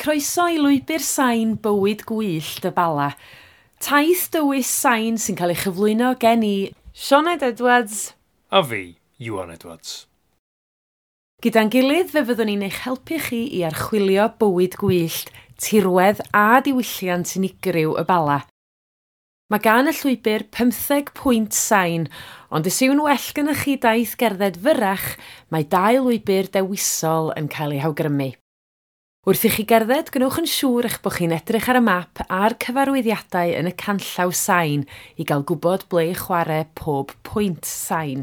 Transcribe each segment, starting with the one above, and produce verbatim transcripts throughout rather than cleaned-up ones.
Croeso i lwybr sain bywyd gwyllt y Bala. Taith dywys sain sy'n cael ei chyflwyno gen i Sioned Edwards a fi, Iwan Edwards. Gyda'n gilydd fe fyddwn ni'n eich helpu chi i archwilio bywyd gwyllt, tirwedd a diwylliant unigryw y Bala. Mae gan y llwybr pymtheg pwynt sain, ond os yw'n well gennych chi daith gerdded fyrrach, mae dau lwybr dewisol yn cael eu hawgrymu. Wrth i chi gerdded, gwnewch yn siŵr eich bod chi'n edrych ar y map a'r cyfarwyddiadau yn y canllaw sain i gael gwybod ble i chwarae pob pwynt sain.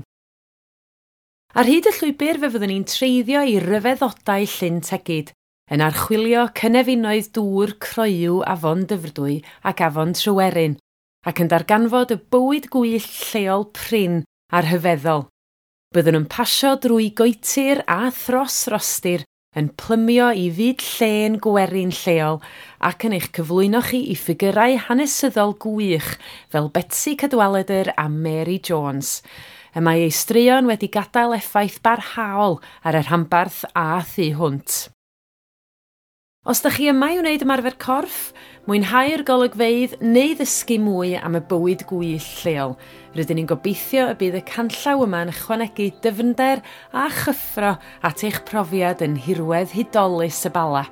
Ar hyd y llwybr fe fyddwn ni'n treiddio i ryfeddodau Llyn Tegid, yn archwilio cynefinoedd dŵr croyw Afon Dyfrdwy ac Afon Tryweryn, ac yn darganfod y bywyd gwyllt lleol prin a'r rhyfeddol. Byddwn yn pasio drwy goetir a thros rostir, yn plymio i fyd llên gwerin lleol ac yn eich cyflwyno chi i ffigurau hanesyddol gwych fel Betsi Cadwaladr a Mary Jones. Y mae ei straeon wedi gadael effaith barhaol ar y rhanbarth a thu hwnt. Os ydych chi yma i wneud ymarfer corff, mwynhau'r golygfeydd neu ddysgu mwy am y bywyd gwyllt lleol, rydyn ni'n gobeithio y bydd y canllaw yma'n ychwanegu dyfnder a chyffro at eich profiad yn nhirwedd hudolus y Bala.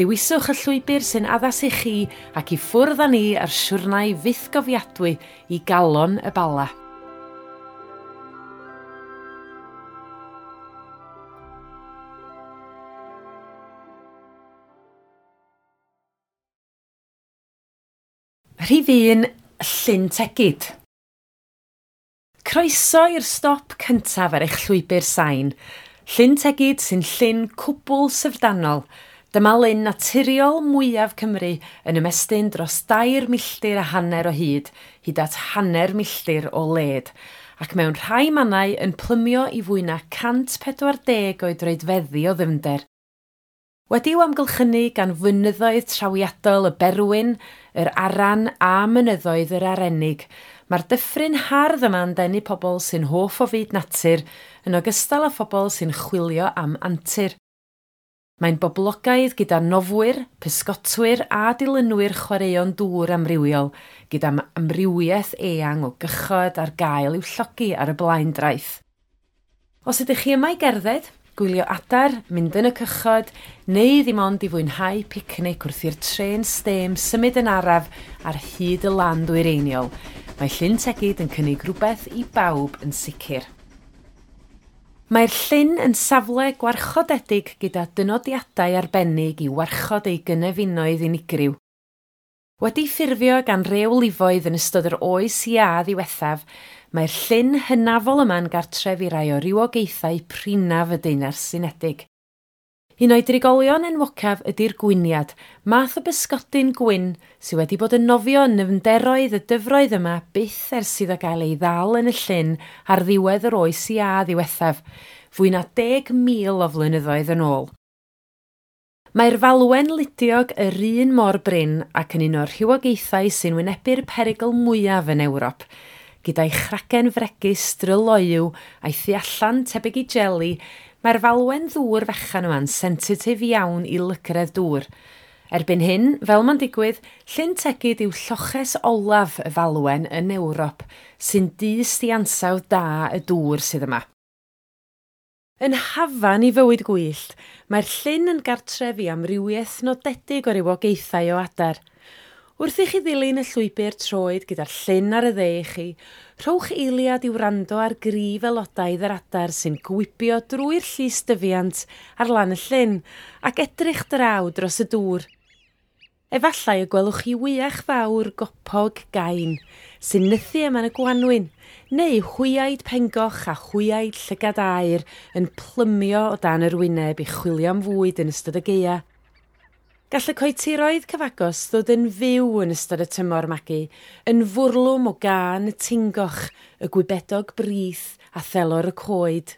Dewiswch y llwybr sy'n addas i chi ac i ffwrdd â ni ar siwrnai fythgofiadwy i galon y Bala. Rhif un, Llyn Tegid. Croeso i'r stop cyntaf ar eich llwybr sain. Llyn Tegid sy'n llyn cwbl syfrdanol. Dyma lyn naturiol mwyaf Cymru yn ymestyn dros dair milltir a hanner o hyd, hyd at hanner milltir o led, ac mewn rhai mannau yn plymio i fwy na cant pedwar deg o droedfeddi o ddyfnder. Wedi'w amgylchynu gan fynyddoedd trawiadol y Berwyn, yr Aran a mynyddoedd yr Arennig, mae'r dyffryn hardd yma'n denu pobl sy'n hoff o fyd natur, yn ogystal â phobl sy'n chwilio am antur. Mae'n boblogaidd gyda nofwyr, pysgotwyr a dilynwyr chwaraeon dŵr amrywiol, gyda amrywiaeth eang o gychod ar gael i'w llogi ar y blaendraeth. Os ydych chi yma i gerdded, gwylio adar, mynd yn y cychod, neu ddim ond i fwynhau picnic wrth i'r trên stêm symud yn araf ar hyd y lan ddwyreiniol, mae Llyn Tegid yn cynnig rhywbeth i bawb yn sicr. Mae'r llyn yn safle gwarchodedig gyda dynodiadau arbennig i warchod ei gynefinoedd unigryw. Wedi ffurfio gan rewlifoedd yn ystod yr oes iâ ddiwethaf, mae'r llyn hynafol yma'n gartref i rai o rywogaethau prinaf y Deyrnas Unedig. Un o'i drigolion enwocaf ydy'r gwyniad, math o bysgodyn gwyn sydd wedi bod yn nofio yn nyfnderoedd y dyfroedd yma byth ers iddo gael ei ddal yn y llyn ar ddiwedd yr oes iâ ddiwethaf, fwy na deg mil o flynyddoedd yn ôl. Mae'r falwen ludiog yr un mor brin ac yn un o'r rhywogaethau sy'n wynebu'r perygl mwyaf yn Ewrop, gyda'i chragen fregus dryloyw a'i thu allan tebyg i jeli, mae'r falwen ddŵr fechan yma'n sensitif iawn i lygredd dŵr. Erbyn hyn, fel mae'n digwydd, Llyn Tegid yw lloches olaf y falwen yn Ewrop, sy'n dyst i ansawdd da y dŵr sydd yma. Yn hafan i fywyd gwyllt, mae'r llyn yn gartref i amrywiaeth nodedig o rywogaethau o adar. Wrth i chi ddilyn y llwybr troed gyda'r llyn ar y dde i chi, rhowch eiliad i wrando ar gryf aelodaidd yr adar sy'n gwibio drwy'r llys dyfiant ar lan y llyn ac edrych draw dros y dŵr. Efallai y gwelwch chi wyach fawr gopog gain sy'n nythu yma yn y gwanwyn, neu hwyaid pengoch a hwyaid llygad aur yn plymio o dan yr wyneb i chwilio am fwyd yn ystod y gaea. Gall y coetiroedd cyfagos ddod yn fyw yn ystod y tymor magu, yn fwrlwm o gân y tingoch, y gwybedog brith a thelor y coed.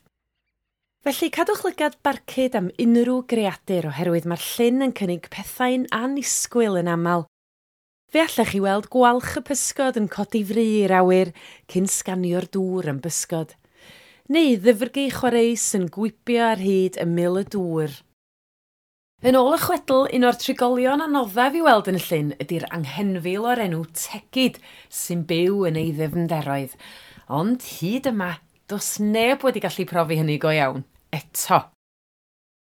Felly, cadwch lygad barcud am unrhyw greadur oherwydd mae'r llyn yn cynnig pethau'n annisgwyl yn aml. Fe allech chi weld gwalch y pysgod yn codi fry i'r awyr cyn sganio'r dŵr am bysgod, neu ddyfrgi chwareus yn gwibio ar hyd ymyl y dŵr. Yn ôl y chwedl, un o'r trigolion anoddaf i weld yn y llyn ydy'r anghenfil o'r enw Tegid sy'n byw yn ei ddyfnderoedd. Ond hyd yma, does neb wedi gallu profi hynny go iawn, eto.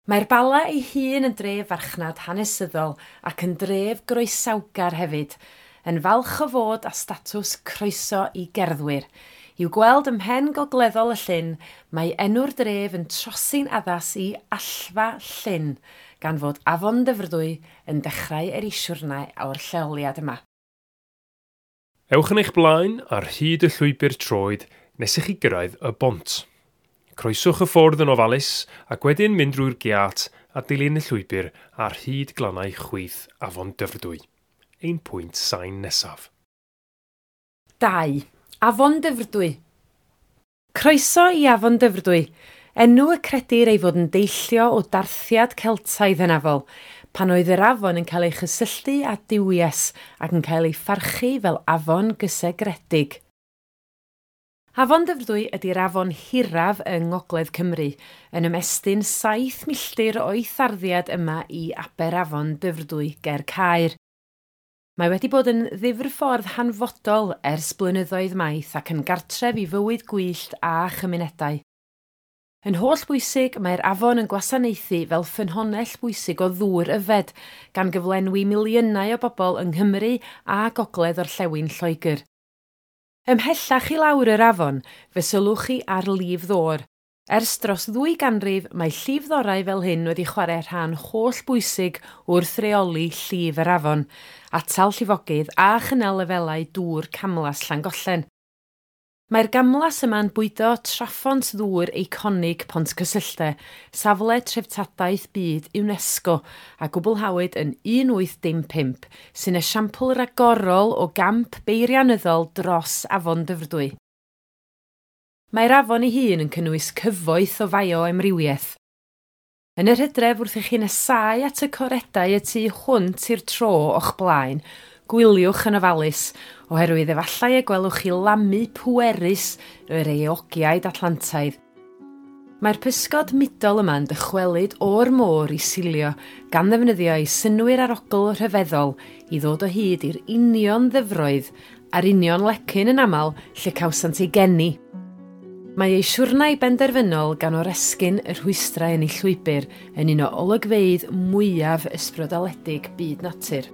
Mae'r Bala ei hun yn dref farchnad hanesyddol ac yn dref groesawgar hefyd, yn falch o fod â statws croeso i gerddwyr. I'w gweld ym mhen gogleddol y llyn, mae enw'r dref yn trosi'n addas i Allfa Llyn, gan fod Afon Dyfrdwy yn dechrau er ei siwrnai o'r lleoliad yma. Ewch yn eich blaen ar hyd y llwybr troed nes i chi gyrraedd y bont. Croeswch y ffordd yn ofalus ac wedyn mynd drwy'r giât a dilyn y llwybr ar hyd glannau chwith Afon Dyfrdwy. Ein pwynt sain nesaf. Dau. Afon Dyfrdwy. Croeso i Afon Dyfrdwy, enw y credir ei fod yn deillio o darthiad Celtaidd hynafol, pan oedd yr afon yn cael ei chysylltu â duwies ac yn cael ei pharchu fel afon gysegredig. Afon Dyfrdwy ydy'r afon hiraf yng Ngogledd Cymru, yn ymestyn saith milltir o'i tharddiad yma i Aberafon Dyfrdwy ger Caer. Mae wedi bod yn ddifrffordd hanfodol ers blynyddoedd maith ac yn gartref i fywyd gwyllt a chymunedau. Yn holl bwysig, mae'r afon yn gwasanaethu fel ffynhonnell bwysig o ddŵr yfed, gan gyflenwi miliynau o bobl yng Nghymru a Gogledd Orllewin Lloegr. Ymhellach i lawr yr afon, fe sylwch chi ar lif ddôr. Ers dros ddwy ganrif, mae llifddorau fel hyn wedi chwarae rhan holl bwysig wrth reoli llif yr afon, atal llifogydd a chynnal lefelau dŵr camlas Llangollen. Mae'r gamlas yma'n bwydo traffont ddŵr eiconig Pontcysyllte, safle treftadaeth byd UNESCO, a gwblhawyd yn un wyth dim pump, sy'n esiampl ragorol o gamp beirianyddol dros Afon Dyfrdwy. Mae'r afon ei hun yn cynnwys cyfoeth o fioamrywiaeth. Yn yr hydref, wrth i chi nesáu at y coredau y tu hwnt i'r tro o'ch blaen, gwyliwch yn ofalus, oherwydd efallai y gwelwch chi lamu pwerus yr eogiaid Atlantaidd. Mae'r pysgod mudol yma'n dychwelyd o'r môr i silio, gan ddefnyddio eu synnwyr arogl rhyfeddol i ddod o hyd i'r union ddyfroedd a'r union lecyn yn aml lle cawsant eu geni. Mae ei siwrnai benderfynol gan oresgyn y rhwystrau yn ei llwybr yn un o olygfeydd mwyaf ysbrydoledig byd natur.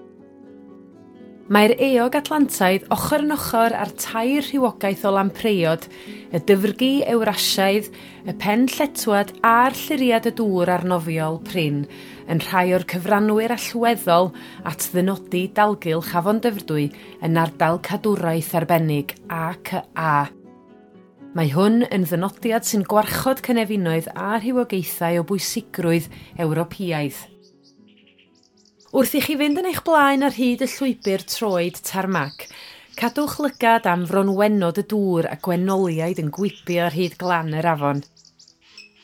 Mae'r eog Atlantaidd ochr yn ochr â'r tair rhywogaeth o lampreiod, y dyfrgi Ewrasiaidd, y pen lletwad a'r llyriad y dŵr arnofiol prin, yn rhai o'r cyfranwyr allweddol at ddynodi dalgylch Afon Dyfrdwy yn ardal cadwraeth arbennig A C A. Mae hwn yn ddynodiad sy'n gwarchod cynefinoedd a rhywogaethau o bwysigrwydd Ewropeaidd. Wrth i chi fynd yn eich blaen ar hyd y llwybr troed tarmac, cadwch lygad am fronwennod y dŵr a gwenoliaid yn gwibio ar hyd glan yr afon.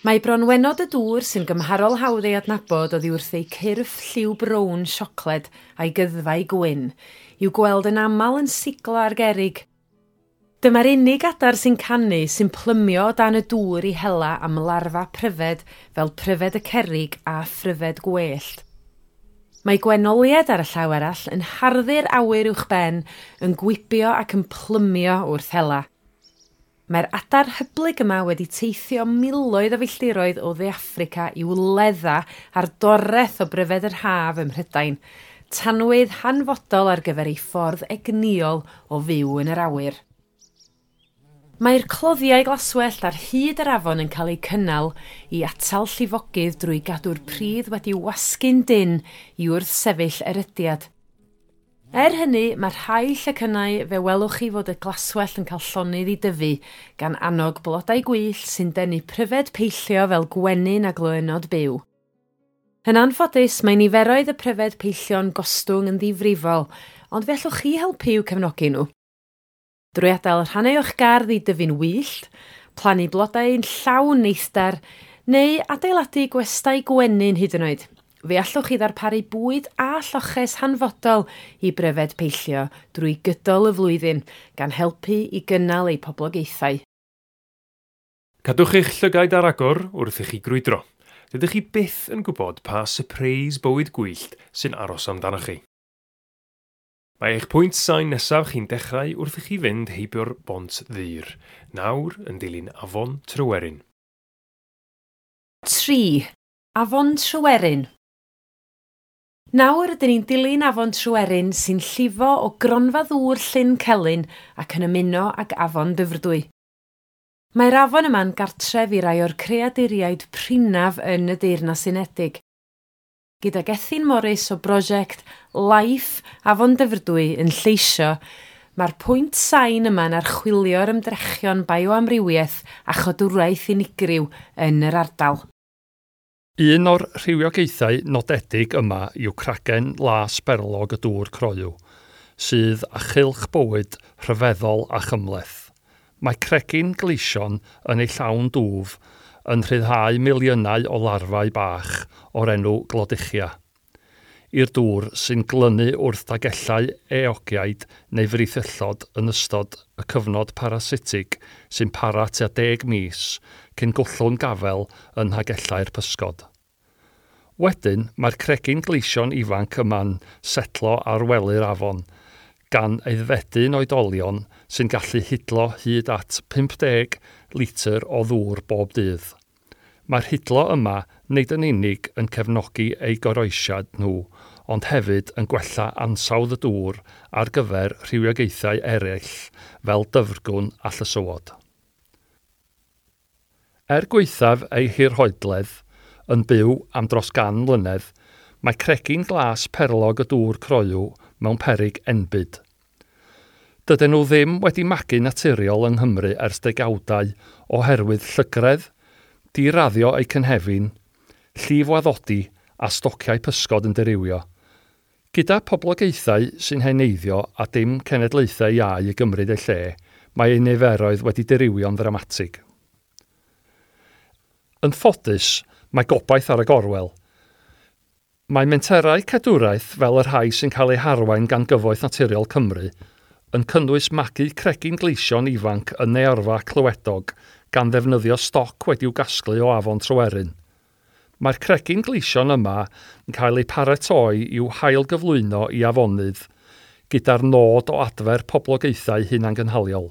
Mae bronwennod y dŵr sy'n gymharol hawdd ei adnabod oddi wrth eu cyrff lliw brown siocled a'i gyddfau gwyn, i'w gweld yn aml yn siglo ar gerrig. Dyma'r unig adar sy'n canu sy'n plymio o dan y dŵr i hela am larfa pryfed fel pryfed y cerrig a phryfed gwellt. Mae gwenoliaid ar y llaw arall yn harddu'r awyr uwchben, yn gwibio ac yn plymio wrth hela. Mae'r adar hyblyg yma wedi teithio miloedd o filltiroedd o Dde Affrica i'w ledda ar doreth o bryfed yr haf ym Mhrydain, tanwydd hanfodol ar gyfer ei ffordd egnïol o fyw yn yr awyr. Mae'r cloddiau glaswellt ar hyd yr afon yn cael eu cynnal i atal llifogydd drwy gadw'r pridd wedi wasgu'n dynn i wrthsefyll erydiad. Er hynny, mae rhai llecynnau fe welwch chi fod y glaswellt yn cael llonydd i dyfu, gan annog blodau gwyllt sy'n denu pryfed peillio fel gwenyn a gloÿnnod byw. Yn anffodus, mae niferoedd y pryfed peillio'n gostwng yn ddifrifol, ond fe allwch chi helpu i'w cefnogi nhw. Drwy adael rhannau o'ch gardd i dyfu'n wyllt, plannu blodau'n llawn neithdar, neu adeiladu gwestai gwenyn hyd yn oed. Fe allwch chi ddarparu bwyd a lloches hanfodol i bryfed peillio drwy gydol y flwyddyn, gan helpu i gynnal eu poblogaethau. Cadwch eich llygaid ar agor wrth i chi grwydro. dydych chi byth yn gwybod pa sypreis bywyd gwyllt sy'n aros amdanoch chi. Mae eich pwynt sain nesaf chi'n dechrau wrth i chi fynd heibio'r bont ddur, nawr yn dilyn Afon Tryweryn. Tri. Afon Tryweryn. Nawr ydyn ni'n dilyn Afon Tryweryn sy'n llifo o gronfa ddŵr Llyn Celyn ac yn ymuno ag Afon Dyfrdwy. Mae'r afon yma'n gartref i rai o'r creaduriaid prinnaf yn y Deyrnas Unedig. Gyda Gethin Morris o brosiect Life Afon Dyfrdwy yn lleisio, mae'r pwynt sain yma'n archwilio'r ymdrechion bioamrywiaeth a chodwraeth unigryw yn yr ardal. Un o'r rhywiogaethau nodedig yma yw cragen las berlog y dŵr croyw, sydd â chylch bywyd rhyfeddol a chymhleth. Mae cregyn gleision yn ei llawn dwf yn rhyddhau miliynau o larfau bach o'r enw glodychia i'r dŵr sy'n glynu wrth dagellau eogiaid neu frithyllod yn ystod y cyfnod parasitig sy'n para tua deg mis cyn gollwng gafel yn nhagellau'r pysgod. Wedyn, mae'r cregyn gleision ifanc yma'n setlo ar wely'r afon, gan aeddfedu'n oedolion sy'n gallu hidlo hyd at pump deg litr o ddŵr bob dydd. Mae'r hidlo yma nid yn unig yn cefnogi eu goroesiad nhw, ond hefyd yn gwella ansawdd y dŵr ar gyfer rhywiogaethau eraill fel dyfrgwn a llysywod. Er gwaethaf ei hirhoedledd, yn byw am dros gan mlynedd, mae cregyn glas perlog y dŵr croyw mewn peryg enbyd. Dydyn nhw ddim wedi magu naturiol yng Nghymru ers degawdau oherwydd llygredd, diraddio eu cynhefin, llifwaddodi a stociau pysgod yn dirywio. Gyda poblogaethau sy'n heneiddio a dim cenedlaethau iau i gymryd eu lle, mae eu niferoedd wedi dirywio'n ddramatig. Yn ffodus, mae gobaith ar y gorwel. Mae menterau cadwraeth fel y rhai sy'n cael eu harwain gan Gyfoeth Naturiol Cymru yn cynnwys magu cregyn gleision ifanc yn Neorfa Clywedog gan ddefnyddio stoc wedi'w gasglu o Afon Tryweryn. Mae'r cregyn gleision yma yn cael eu paratoi i'w hailgyflwyno i afonydd gyda'r nod o adfer poblogaethau hunangynhaliol.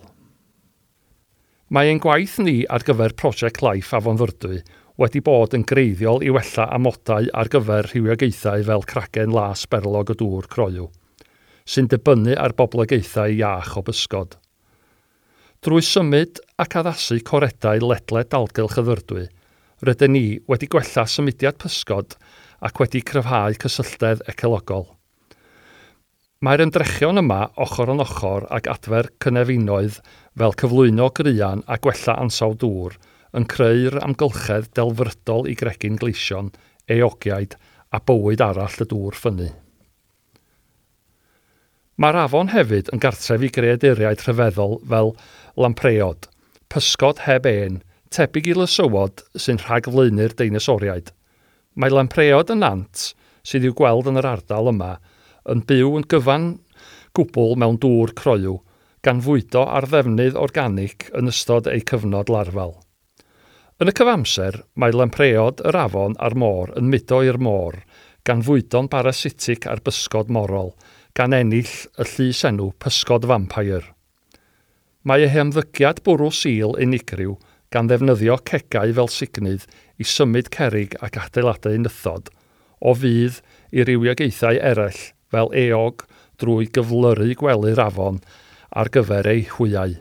Mae ein gwaith ni ar gyfer Prosiect Life Afon Ddyfrdwy wedi bod yn greiddiol i wella amodau ar gyfer rhywiogaethau fel cragen las berlog y dŵr croyw, sy'n dibynnu ar boblogaethau iach o bysgod. Drwy symud ac addasu coredau ledled dalgylch y Ddyfrdwy, rydyn ni wedi gwella symudiad pysgod ac wedi cryfhau cysylltedd ecologol. Mae'r ymdrechion yma ochr yn ochr ag adfer cynefinoedd fel cyflwyno graean a gwella ansawdd dŵr yn creu'r amgylchedd delfrydol i gregyn gleision, eogiaid a bywyd arall y dŵr ffynnu. Mae'r afon hefyd yn gartref i greaduriaid rhyfeddol fel lampreod, pysgod heb en, tebyg i lysywod sy'n rhagflaenu'r deinosoriaid. Mae lampreod y nant, sydd i'w gweld yn yr ardal yma, yn byw yn gyfan gwbl mewn dŵr croyw, gan fwydo ar ddefnydd organig yn ystod eu cyfnod larfal. Yn y cyfamser, mae lampreod yr afon a'r môr yn mudo i'r môr, gan fwydo'n barasitig ar bysgod morol, gan ennill y llysenw pysgod vampire. Mae eu hymddygiad bwrw sil unigryw gan ddefnyddio cegau fel sugnydd i symud cerrig ac adeiladau nythod, o fudd i rywiogaethau eraill fel eog drwy gyflyru gwely'r afon ar gyfer eu hwyau.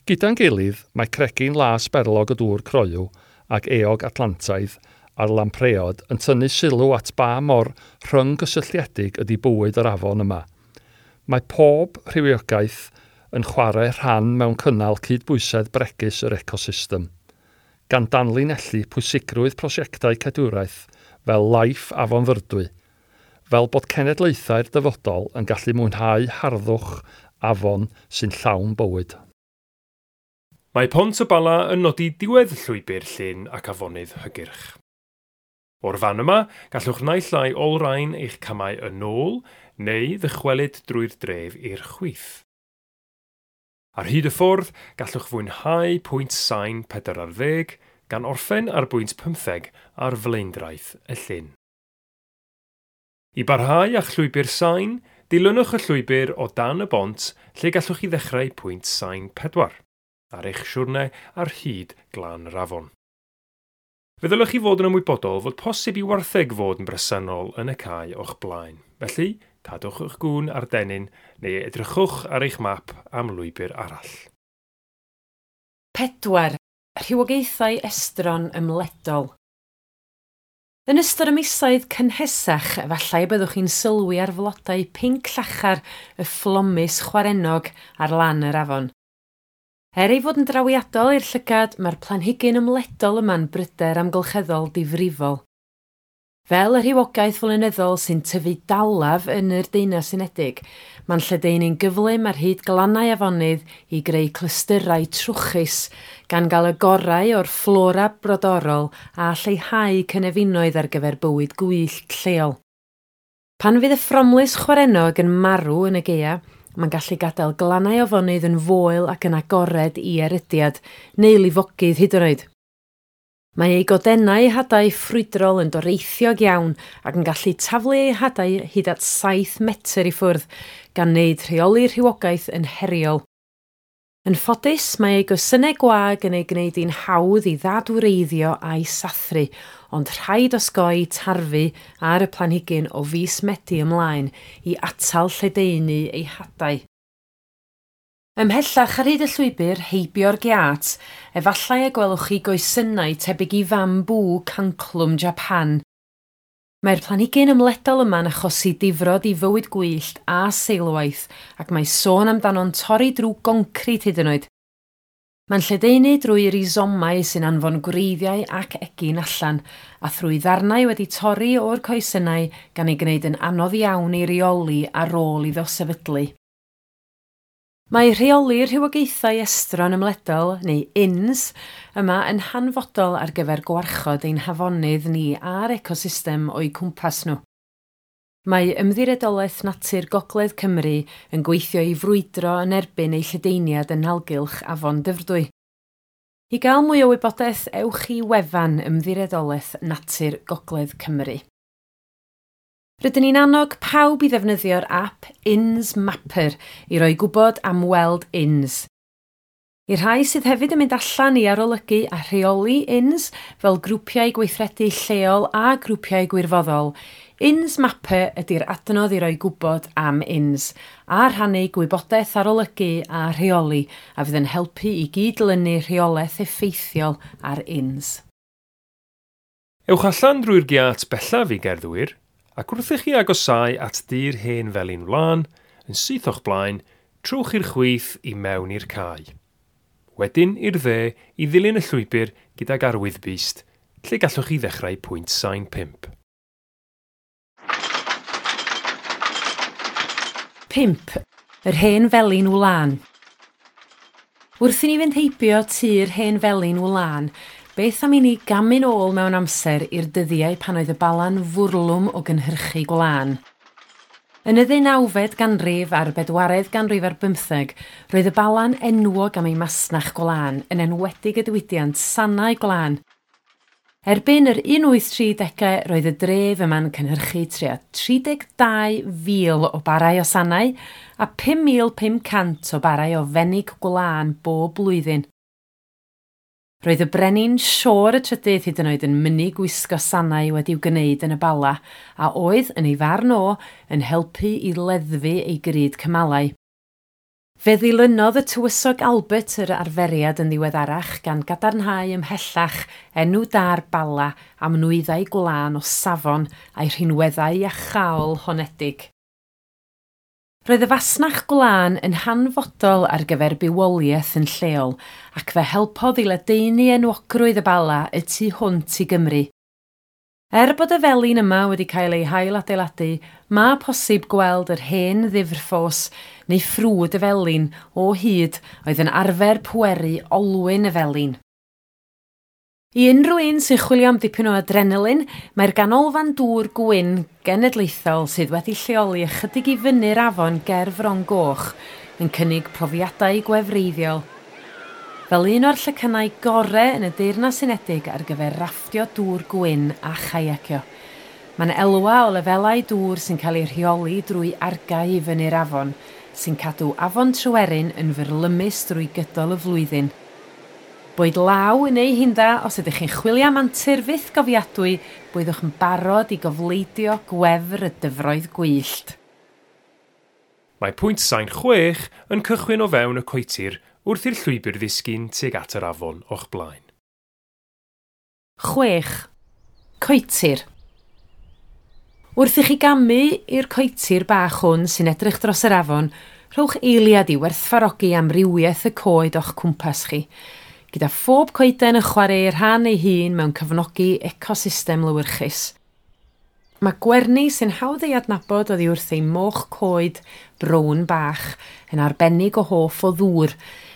Gyda'n gilydd, mae cregyn las berlog y dŵr croyw ac eog Atlantaidd a'r lampreod yn tynnu sylw at ba mor rhyng-gysylltiedig ydy bywyd yr afon yma. Mae pob rhywiogaeth yn chwarae rhan mewn cynnal cydbwysedd bregus yr ecosystem, gan danlinellu pwysigrwydd prosiectau cadwraeth fel Life Afon Ddyfrdwy, fel bod cenedlaethau'r dyfodol yn gallu mwynhau harddwch afon sy'n llawn bywyd. Mae Pont y Bala yn nodi diwedd llwybr llyn ac afonydd hygyrch. O'r fan yma, gallwch naill ai olrhain eich camau yn ôl neu ddychwelyd drwy'r dref i'r chwith. Ar hyd y ffordd, gallwch fwynhau pwynt sain pedwar ar ddeg, gan orffen ar bwynt pymtheg ar flaendraeth y llyn. I barhau â'ch llwybr sain, dilynwch y llwybr o dan y bont lle gallwch chi ddechrau pwynt sain pedwar ar eich siwrne ar hyd glan yr afon. Fe ddylech chi fod yn ymwybodol fod posib i wartheg fod yn bresennol yn y cae o'ch blaen. Felly, cadwch eich gŵn ar dennyn neu edrychwch ar eich map am lwybr arall. Pedwar. Rhywogaethau estron ymledol. Yn ystod y misoedd cynhesach, efallai y byddwch chi'n sylwi ar flodau pinc llachar y fflomus chwarennog ar lan yr afon. Er ei fod yn drawiadol i'r llygad, mae'r planhigyn ymledol yma'n bryder amgylcheddol difrifol. Fel y rhywogaeth flynyddol sy'n tyfu dalaf yn yr Deyrnas Unedig, mae'n lledaenu'n gyflym ar hyd glannau afonydd i greu clystyrau trwchus, gan gael y gorau o'r fflora brodorol a lleihau cynefinoedd ar gyfer bywyd gwyllt lleol. Pan fydd y ffromlys chwarennog yn marw yn y gaea, mae'n gallu gadael glannau afonydd yn foel ac yn agored i erydiad, neu lifogydd hyd yn oed. Mae ei godennau hadau ffrwydrol yn doreithiog iawn ac yn gallu taflu ei hadau hyd at saith metr i ffwrdd, gan wneud rheoli rhywogaeth yn heriol. Yn ffodus, mae ei goesynnau gwag yn ei gwneud hi'n hawdd i ddadwreiddio a'i sathru, ond rhaid osgoi tarfu ar y planhigyn o fis Medi ymlaen i atal lledaenu ei hadau. Ymhellach ar hyd y llwybr heibio'r giât, efallai y gwelwch chi goesynnau tebyg i fambŵ canclwm Japan. Mae'r planhigyn ymledol yma'n achosi difrod i fywyd gwyllt a seilwaith, ac mae sôn amdano'n torri drwy goncrit hyd yn oed. Mae'n lledaenu drwy rhizomau sy'n anfon gwreiddiau ac egin allan, a thrwy ddarnau wedi torri o'r coesynnau gan ei gwneud yn anodd iawn ei reoli ar ôl iddo sefydlu. Mae rheoli rhywogaethau estron ymledol, neu I N S, yma yn hanfodol ar gyfer gwarchod ein hafonydd ni a'r ecosystem o'u cwmpas nhw. Mae Ymddiriedolaeth Natur Gogledd Cymru yn gweithio i frwydro yn erbyn ei lledaeniad yn nalgylch Afon Dyfrdwy. I gael mwy o wybodaeth, ewch i wefan Ymddiriedolaeth Natur Gogledd Cymru. Rydyn ni'n annog pawb i ddefnyddio'r app I N S Mapper i roi gwybod am weld I N S. I'r rhai sydd hefyd yn mynd allan i arolygu a rheoli I N S fel grwpiau gweithredu lleol a grwpiau gwirfoddol, I N S Mapper ydy'r adnodd i roi gwybod am I N S a rhannu gwybodaeth arolygu a rheoli a fydd yn helpu i gydlynu rheolaeth effeithiol ar I N S. Ewch allan drwy'r giât bellaf i gerddwyr, ac wrth i chi agosáu at dir hen felin wlân, yn syth o'ch blaen, trowch i'r chwith i mewn i'r cae. Wedyn i'r dde i ddilyn y llwybr gydag arwyddbyst, lle gallwch chi ddechrau pwynt sain pump. Pump. Yr hen felin wlân. Wrth i ni fynd heibio tŷ'r hen felin wlân, beth am i ni gamu'n ôl mewn amser i'r dyddiau pan oedd y Bala'n fwrlwm o gynhyrchu gwlân. Yn y ddeunawfed ganrif a'r bedwaredd ganrif ar bymtheg, roedd y Bala'n enwog am ei masnach gwlân, yn enwedig y diwydiant sanau gwlân. Erbyn yr un wyth tri degau, roedd y dref yma'n cynhyrchu tua tri deg dau fil o barau o sanau a pum mil pum cant o barau o fenig gwlân bob blwyddyn. Roedd y brenin Siôr y Trydydd hyd yn oed yn mynnu gwisgo sanau wedi'w gwneud yn y Bala, a oedd, yn ei farn o, yn helpu i leddfu ei gryd cymalau. Fe ddilynodd y tywysog Albert yr arferiad yn ddiweddarach gan gadarnhau ymhellach enw da'r Bala am nwyddau gwlân o safon a'i rhinweddau iachaol honedig. Roedd y fasnach gwlân yn hanfodol ar gyfer bywoliaeth yn lleol ac fe helpodd i ledaenu enwogrwydd y Bala y tu hwnt i Gymru. Er bod y felin yma wedi cael ei hailadeiladu, mae posib gweld yr hen ddifrffos neu ffrwd y felin o hyd oedd yn arfer pweru olwyn y felin. I unrhyw un sy'n chwilio am dipyn o adrenalin, mae'r ganolfan dŵr gwyn genedlaethol sydd wedi lleoli ychydig i fyny'r afon ger Fron Goch yn cynnig profiadau gwefreiddiol. fel un o'r llecynnau gore yn y Deyrnas Unedig ar gyfer rafftio dŵr gwyn a chaiacio. Mae'n elwa o lefelau dŵr sy'n cael ei rheoli drwy argau i fyny'r afon, sy'n cadw afon Tryweryn yn fyrlymus drwy gydol y flwyddyn. Boed law neu hinda, os ydych chi'n chwilio am antur fyth gofiadwy, byddwch yn barod i gofleidio gwefr y dyfroedd gwyllt. Mae pwynt sain chwech yn cychwyn o fewn y coetir wrth i'r llwybr ddisgyn tuag at yr afon o'ch blaen. Chwech. Coetir. Wrth i chi gamu i'r coetir bach hwn sy'n edrych dros yr afon, rhowch eiliad i werthfawrogi amrywiaeth y coed o'ch cwmpas chi, gyda phob coeden yn chwarae ei rhan ei hun mewn cefnogi ecosystem lywyrchus. Mae gwerni sy'n hawdd ei adnabod oddi wrth ei moch coed brown bach yn arbennig o hoff o ddŵr.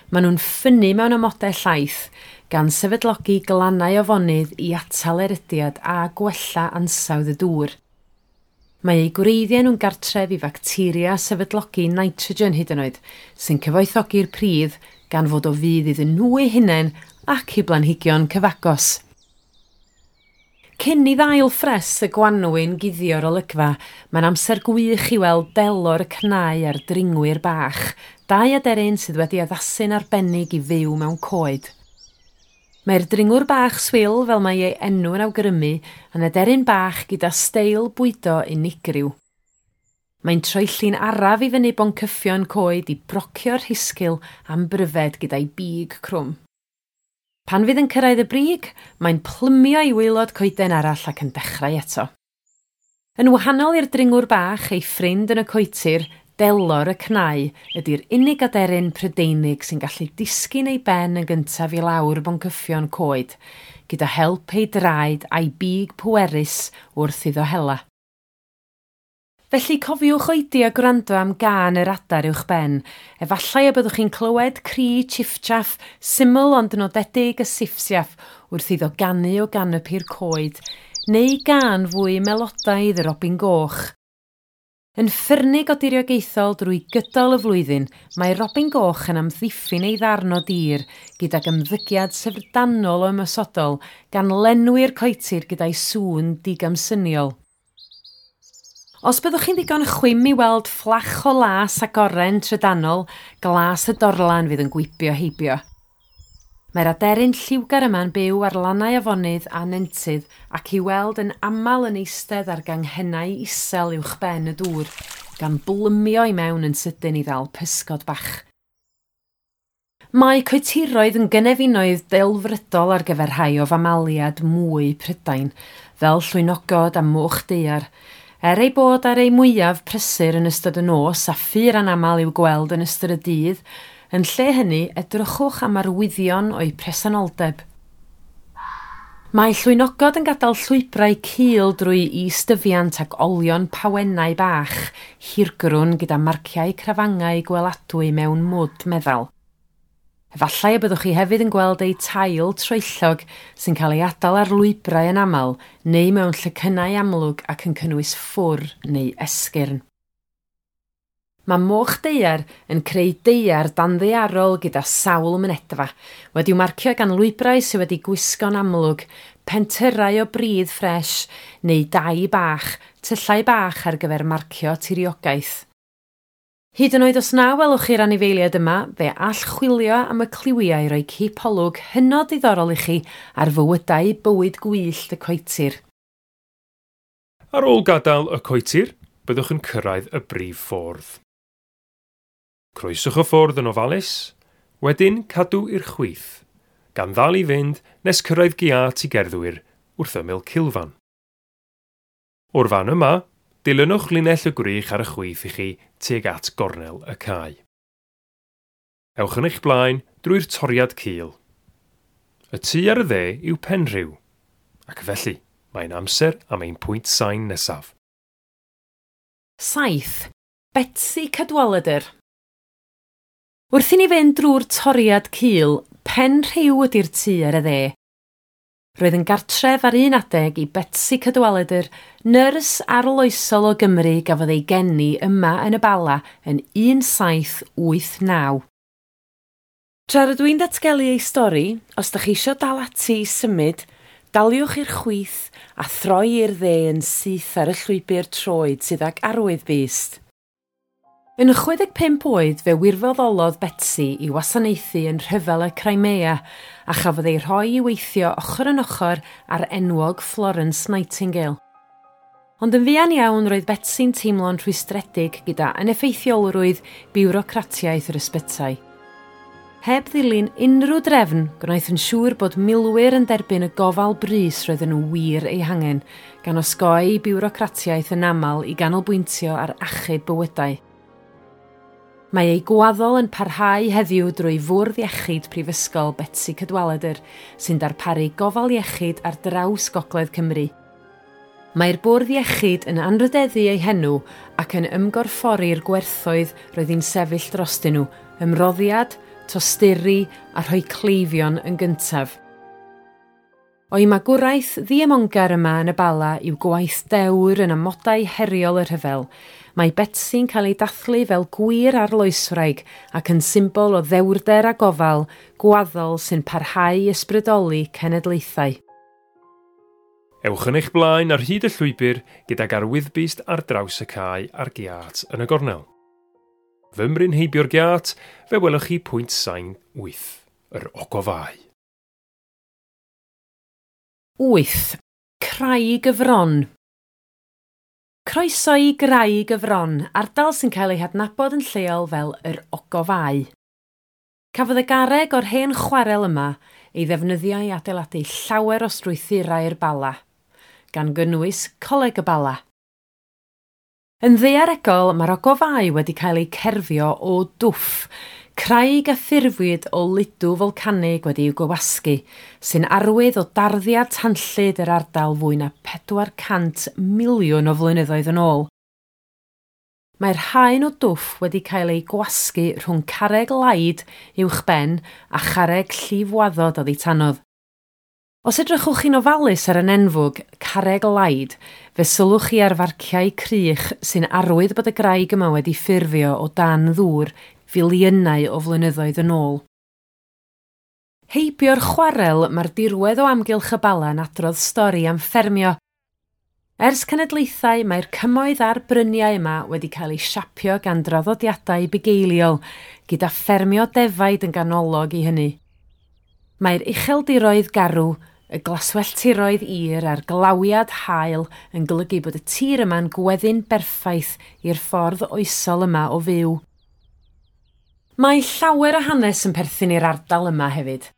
Maen nhw'n ffynnu mewn amodau llaith, gan sefydlogi glannau afonydd i atal erydiad a gwella ansawdd y dŵr. Mae eu gwreiddiau nhw'n gartref i facteria sefydlogi nitrogen hyd yn oed, sy'n cyfoethogi'r pridd gan fod o fudd iddyn nhw eu hunain ac i blanhigion cyfagos. Cyn i ddail ffres y gwanwyn guddio'r olygfa, mae'n amser gwych i weld delor y cnau a'r dringwyr bach, dau aderyn sydd wedi addasu'n arbennig i fyw mewn coed. Mae'r dringwr bach swil, fel mae ei enw yn awgrymu, yn aderyn bach gyda steil bwydo unigryw. Mae'n troelli'n araf i fyny boncyffion coed i brocio'r rhisgl am bryfed gyda'i big crwm. Pan fydd yn cyrraedd y brig, mae'n plymio i waelod coeden arall ac yn dechrau eto. Yn wahanol i'r dringwr bach, ei ffrind yn y coetir, delor y cnau, ydy'r unig aderyn Prydeinig sy'n gallu disgyn ei ben yn gyntaf i lawr boncyffion coed, gyda help ei draed a'i big pwerus wrth iddo hela. Felly cofiwch oedi a gwrando am gân yr adar uwch ben. Efallai y byddwch chi'n clywed cri chiffchaff, syml ond nodedig y siffsiaff wrth iddo ganu o ganopi'r coed, neu gân fwy melodaidd y robin goch. Yn ffyrnig o diriogaethol drwy gydol y flwyddyn, mae robin goch yn amddiffyn ei ddarn o dir gydag ymddygiad syfrdanol o ymosodol gan lenwi'r coetir gyda'i sŵn digamsyniol. Os byddwch chi'n ddigon chwim i weld fflach o las ac oren trydanol, glas y dorlan fydd yn gwibio heibio. Mae'r aderyn lliwgar yma'n byw ar lannau afonydd a nentydd ac i weld yn aml yn eistedd ar ganghennau isel uwch ben y dŵr, gan blymio i mewn yn sydyn i ddal pysgod bach. Mae coetiroedd yn gynefinoedd delfrydol ar gyfer rhai o famaliad mwy Prydain, fel llwynogod a moch daear. Er ei bod ar ei mwyaf prysur yn ystod y nos a ffur anaml i'w gweld yn ystod y dydd, yn lle hynny edrychwch am arwyddion o'u presenoldeb. Mae llwynogod yn gadael llwybrau cul drwy is-dyfiant ac olion pawennau bach, hirgrwn gyda marciau crafangau gweladwy mewn mwd meddal. Efallai y byddwch chi hefyd yn gweld eu tail troellog sy'n cael ei adael ar lwybrau yn aml neu mewn llecynnau amlwg ac yn cynnwys ffwr neu esgyrn. Mae moch daear yn creu daear danddaearol gyda sawl mynedfa, wedi'w marcio gan lwybrau sydd wedi gwisgo'n amlwg, pentyrrau o bridd ffres neu dai bach, tyllau bach ar gyfer marcio tiriogaeth. Hyd yn oed os na welwch chi'r anifeiliaid yma, fe all chwilio am y cliwiau roi cipolwg hynod ddiddorol i chi ar fywydau bywyd gwyllt y coetir. Ar ôl gadael y coetir, byddwch yn cyrraedd y brif ffordd. Croeswch y ffordd yn ofalus, wedyn cadw i'r chwith, gan ddal i fynd nes cyrraedd giât i gerddwyr wrth ymyl cilfan. O'r fan yma, dilynwch linell y gwrych ar y chwith i chi tuag at gornel y cae. Ewch yn eich blaen drwy'r toriad cul. Y tŷ ar y dde yw Penrhiw, ac felly mae'n amser am ein pwynt sain nesaf. Saith. Betsi Cadwaladr. Wrth i ni fynd drwy'r toriad cul, Penrhiw ydy'r tŷ ar y dde. Roedd yn gartref ar un adeg i Betsi Cadwaladr, nyrs arloesol o Gymru gafodd ei geni yma yn y Bala yn un saith wyth naw. Tra rydw i'n datgelu ei stori, os ydych chi isio dal ati i symud, daliwch i'r chwith a throi i'r dde yn syth ar y llwybr troed sydd ag arwydd byst. Yn chwe deg pump oed fe wirfoddolodd Betsi i wasanaethu yn rhyfel y Crimea a chafodd ei rhoi i weithio ochr yn ochr ar enwog Florence Nightingale. Ond yn fuan iawn roedd Betsy'n teimlo'n rhwystredig gyda aneffeithiolrwydd biwrocratiaeth yr ysbytai. Heb ddilyn unrhyw drefn, gwnaeth yn siŵr bod milwyr yn derbyn y gofal brys roedden nhw wir ei hangen, gan osgoi biwrocratiaeth yn aml i ganolbwyntio ar achub bywydau. Mae ei gwaddol yn parhau heddiw drwy Fwrdd Iechyd Prifysgol Betsi Cadwaladr, sy'n darparu gofal iechyd ar draws Gogledd Cymru. Mae'r Bwrdd Iechyd yn anrhydeddu ei henw ac yn ymgorffori'r gwerthoedd roedd hi'n sefyll drostyn nhw, ymroddiad, tosturi a rhoi cleifion yn gyntaf. O'i magwraeth ddiemongar yma yn y Bala i'w gwaith dewr yn amodau heriol y rhyfel, mae Betsy'n cael ei dathlu fel gwir arloeswraig ac yn symbol o ddewrder a gofal gwaddol sy'n parhau i ysbrydoli cenedlaethau. Ewch yn eich blaen ar hyd y llwybr gydag arwyddbyst ar draws y cae a'r giât yn y gornel. Fymryn heibio'r giât, fe welwch chi pwynt sain wyth, yr ogofau. Wyth. Craig y Fron. Croeso i Graig y Fron, ardal sy'n cael ei hadnabod yn lleol fel yr Ogofau. Cafodd y garreg o'r hen chwarel yma ei ddefnyddio i adeiladu llawer o strwythurau'r Bala, gan gynnwys Coleg y Bala. Yn ddaearegol, mae'r ogofau wedi cael eu cerfio o dwff, craig a ffurfwyd o ludw folcanig wedi'w gywasgu, sy'n arwydd o darddiad tanllyd yr ardal fwy na pedwar cant miliwn o flynyddoedd yn ôl. Mae'r haen o dwff wedi cael ei gwasgu rhwng carreg laid uwchben a charreg llifwaddod oddi tanodd. Os edrychwch chi'n ofalus ar y nenfwg, carreg laid, fe sylwch chi ar farciau crych sy'n arwydd bod y graig yma wedi ffurfio o dan ddŵr filiynau o flynyddoedd yn ôl. Heibio'r chwarel, mae'r dirwedd o amgylch y Bala yn adrodd stori am ffermio. Ers cenedlaethau, mae'r cymoedd a'r bryniau yma wedi cael eu siapio gan draddodiadau bugeiliol, gyda ffermio defaid yn ganolog i hynny. Mae'r ucheldiroedd garw, y glaswelltiroedd ir a'r glawiad haul yn golygu bod y tir yma'n gweddu'n berffaith i'r ffordd oesol yma o fyw. Mae llawer o hanes yn perthyn i'r ardal yma hefyd.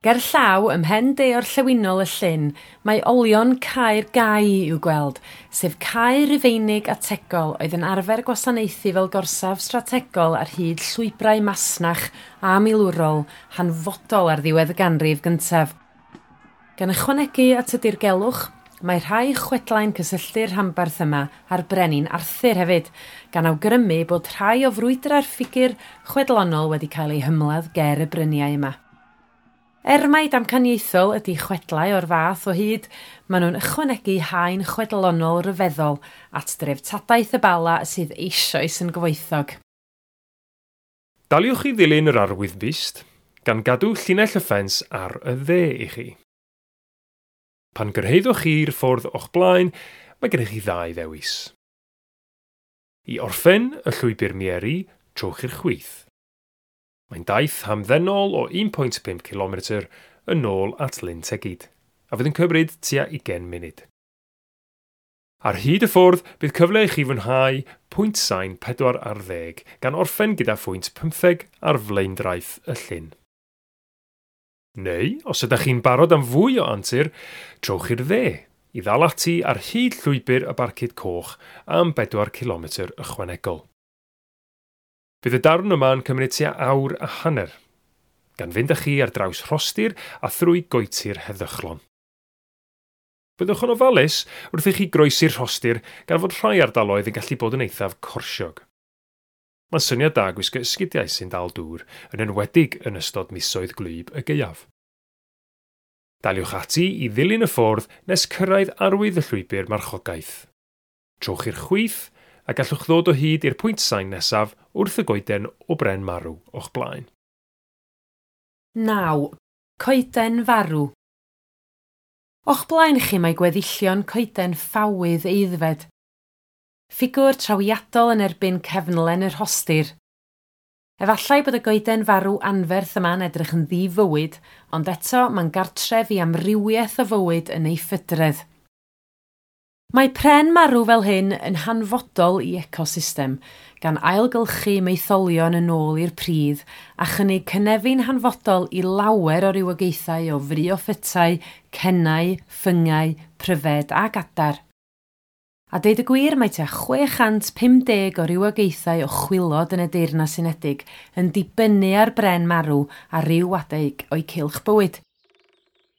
Ger llaw, ym mhen de orllewinol y llyn, mae olion Caer Gai i'w gweld, sef caer Rufeinig ategol oedd yn arfer gwasanaethu fel gorsaf strategol ar hyd llwybrau masnach a milwrol hanfodol ar ddiwedd y ganrif gyntaf. Gan ychwanegu at y dirgelwch, mae rhai chwedlau'n cysylltu'r rhanbarth yma a'r brenin Arthur hefyd, gan awgrymu bod rhai o frwydrau'r ffigur chwedlonol wedi cael eu hymladd ger y bryniau yma. Er mai damcaniaethol ydy chwedlau o'r fath o hyd, maen nhw'n ychwanegu haen chwedlonol ryfeddol at dreftadaeth y Bala sydd eisoes yn gyfoethog. Daliwch i ddilyn yr arwyddbyst, gan gadw llinell y ffens ar y dde i chi. Pan gyrhaeddwch chi'r ffordd o'ch blaen, mae gennych chi ddau ddewis. I orffen y llwybr mieri, trowch i'r chwith. Mae'n daith hamddenol o un pwynt pump kilometr yn ôl at Lyn Tegid, a fydd yn cymryd tua ugain munud. Ar hyd y ffordd, bydd cyfle i chi fwynhau pwynt sain pedwar ar ddeg, gan orffen gyda phwynt pymtheg ar flaendraeth y llyn. Neu, os ydych chi'n barod am fwy o antur, trowch i'r dde i ddal ati ar hyd llwybr y Barcud Coch am bedwar kilometr ychwanegol. Bydd y darn yma'n cymryd tua awr a hanner, gan fynd â chi ar draws rhostir a thrwy goetir heddychlon. Byddwch yn ofalus wrth i chi groesi'r rhostir gan fod rhai ardaloedd yn gallu bod yn eithaf corsiog. Mae'n syniad da gwisgo esgidiau sy'n dal dŵr, yn enwedig yn ystod misoedd gwlyb y gaeaf. Daliwch ati i ddilyn y ffordd nes cyrraedd arwydd y llwybr marchogaeth. Trowch i'r chwith a gallwch ddod o hyd i'r pwynt sain nesaf wrth y goeden o bren marw o'ch blaen. Naw. Coeden farw. O'ch blaen chi mae gweddillion coeden ffawydd aeddfed. Ffigwr trawiadol yn erbyn cefnlen y rhostir. Efallai bod y goeden farw anferth yma'n edrych yn ddifywyd, ond eto mae'n gartref i amrywiaeth o fywyd yn ei phydredd. Mae pren marw fel hyn yn hanfodol i ecosystem, gan ailgylchu maetholion yn ôl i'r pridd a chynnig cynefin hanfodol i lawer o rywogaethau o fryoffytau, cennau, ffyngau, pryfed ac adar. A deud y gwir, mae tua chwe chant pum deg o rywogaethau o chwilod yn y Deyrnas Unedig yn dibynnu ar bren marw a ryw adeg o'i cylch bywyd.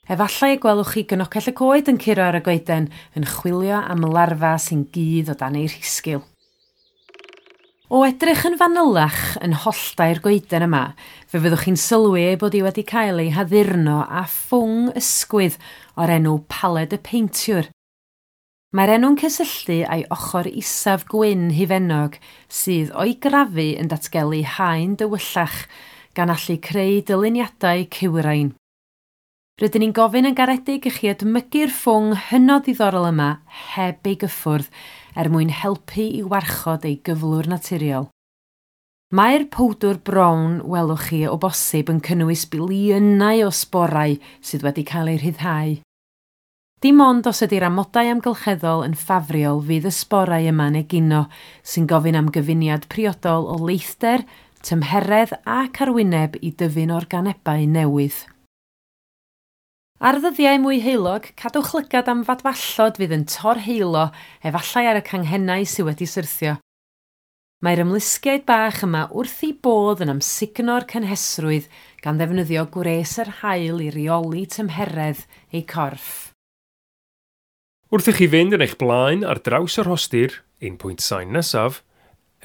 Efallai y gwelwch chi gynocell y coed yn curo ar y goeden yn chwilio am larfa sy'n gudd o dan ei rhisgil. O edrych yn fanylach yn holltau'r goeden yma, fe fyddwch chi'n sylwi ei bod hi wedi cael ei haddurno â ffwng ysgwydd o'r enw paled y peintiwr. Mae'r enw'n cysylltu â'i ochr isaf gwyn hufennog sydd o'i grafu yn datgelu haen dywyllach gan allu creu dyluniadau cywrain. Rydyn ni'n gofyn yn garedig i chi edmygu'r ffwng hynod ddiddorol yma heb ei gyffwrdd er mwyn helpu i warchod ei gyflwr naturiol. Mae'r powdwr brown welwch chi o bosib yn cynnwys biliynau o sborau sydd wedi cael eu rhyddhau. Dim ond os ydy'r amodau amgylcheddol yn ffafriol fydd y sborau yma'n egino, sy'n gofyn am gyfuniad priodol o leithder, tymheredd ac arwyneb i dyfu'n organebau newydd. Ar ddyddiau mwy heulog, cadwch lygad am fadfallod fydd yn torheilo efallai ar y canghennau sydd wedi syrthio. Mae'r ymlusgiaid bach yma wrth eu bodd yn amsugno'r cynhesrwydd gan ddefnyddio gwres yr haul i reoli tymheredd eu corff. Wrth i chi fynd yn eich blaen ar draws y rhostir, un pwynt sain nesaf,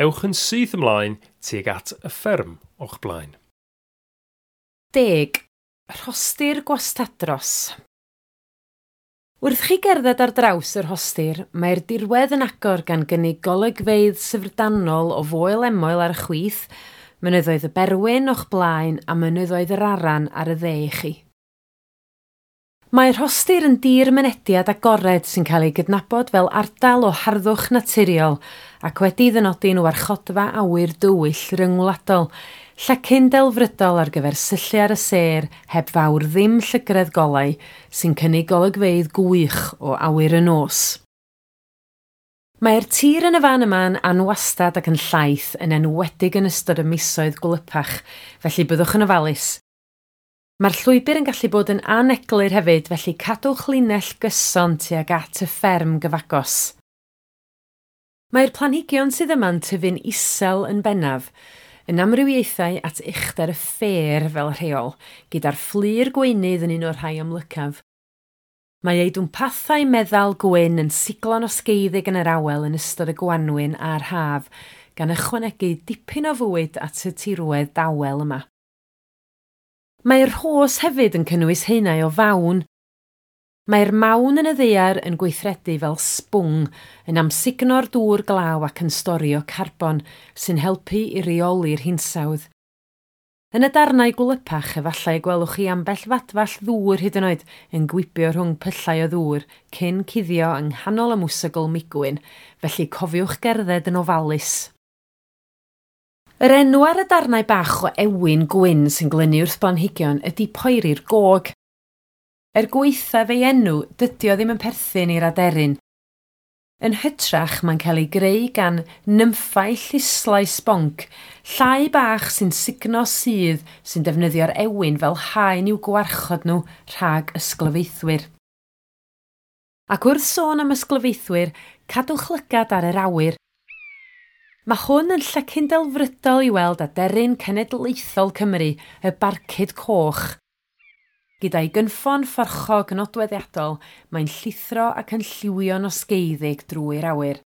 ewch yn syth ymlaen tuag at y fferm o'ch blaen. Deg. Rhostir Gwastadros. Wrth chi gerdded ar draws y rhostir, mae'r dirwedd yn agor gan gynnig golygfeydd syfrdanol o Foel Emoel ar y chwith, mynyddoedd y Berwyn o'ch blaen a mynyddoedd yr Aran ar y dde i chi. Mae'r rhostir yn dir mynediad agored sy'n cael ei gydnabod fel ardal o harddwch naturiol ac wedi ddynodi'n warchodfa awyr dywyll ryngwladol, llecyn delfrydol ar gyfer syllu ar y sêr heb fawr ddim llygredd golau sy'n cynnig golygfeydd gwych o awyr y nos. Mae'r tir yn y fan yma'n anwastad ac yn llaith yn enwedig yn ystod y misoedd gwlypach, felly byddwch yn ofalus. Mae'r llwybr yn gallu bod yn aneglur hefyd, felly cadwch linell gyson tuag at y fferm gyfagos. Mae'r planhigion sydd yma'n tyfu'n isel yn bennaf, yn amrywiaethau at uchder y ffer fel rheol, gyda'r fflur gweunydd yn un o'r rhai amlycaf. Mae ei dwmpathau meddal gwyn yn siglo'n osgeiddig yn yr awel yn ystod y gwanwyn a'r haf, gan ychwanegu dipyn o fwyd at y tirwedd dawel yma. Mae'r rhos hefyd yn cynnwys haenau o fawn. Mae'r mawn yn y ddaear yn gweithredu fel sbwng, yn amsugno'r dŵr glaw ac yn storio carbon, sy'n helpu i reoli'r hinsawdd. Yn y darnau gwlypach, efallai gwelwch chi ambell fadfall ddŵr hyd yn oed yn gwibio rhwng pyllau o ddŵr cyn cuddio yng nghanol y mwsogl migwyn, felly cofiwch gerdded yn ofalus. Yr enw ar y darnau bach o ewin gwyn sy'n glynu wrth blanhigion ydy poeri'r gog. Er gwaethaf ei enw, dydy o ddim yn perthyn i'r aderyn. Yn hytrach, mae'n cael ei greu gan nymffau lluslau sbonc, llai bach sy'n sugno sudd sy'n defnyddio'r ewin fel haen i'w gwarchod nhw rhag ysglyfaethwyr. Ac wrth sôn am ysglyfaethwyr, cadwch lygad ar yr awyr. Mae hwn yn llecyn delfrydol i weld aderyn cenedlaethol Cymru, y barcud coch. Gyda'i gynffon fforchog nodweddiadol, mae'n llithro ac yn lliwio'n osgeiddig drwy'r awyr.